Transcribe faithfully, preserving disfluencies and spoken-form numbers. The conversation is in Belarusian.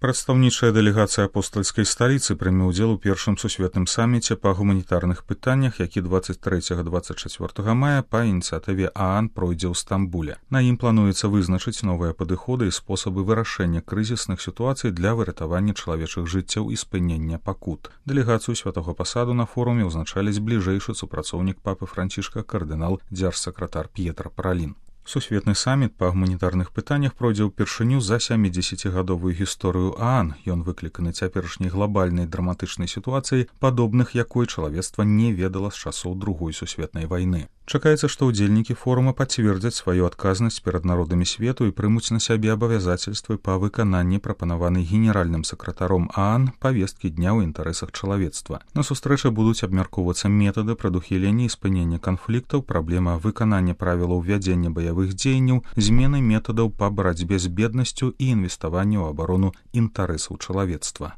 Прадстаўнічая дэлегацыя апостальскай сталіцы прыме ўдзел у першым сусветным саміце па гуманітарных пытаннях, які дваццаць трэцяга - дваццаць чацвёртага мая па ініцыятыве ААН пройдзе ў Стамбуле. На ім плануецца вызначыць новыя падыходы і спосабы вырашэння крызісных сітуацый для выратавання чалавечых жыццяў і спынення пакут. Дэлегацыю святога пасаду на форуме ўзначаліць бліжэйшы супрацоўнік папы Францішка кардынал дзяржсакратар П'етра Паралін. Сусветны саміт па гуманітарных пытаннях пройдзе ўпершыню за сямідзесяцігадовую гісторыю ААН. Ён выкліканы цяперашняй глобальнай драматычнай сітуацыяй, падобных якой чалавецтва не ведала з часоў другой сусветнай вайны. Чакаецца, што ўдзельнікі форума пацвердзяць сваю адказнасць перад народамі свету і прымуць на сябе абавязацельствы па выкананні прапанаванай генеральным сакратаром ААН павесткі дня ў інтарэсах чалавецтва. На сустрэчы будуць абмяркоўвацца метады прадухілення і спынення канфліктаў, праблема выканання правілаў вядзення баявых дзеянняў, змены метадаў па барацьбе з беднасцю і інвеставанне ў абарону інтарэсаў чалавецтва.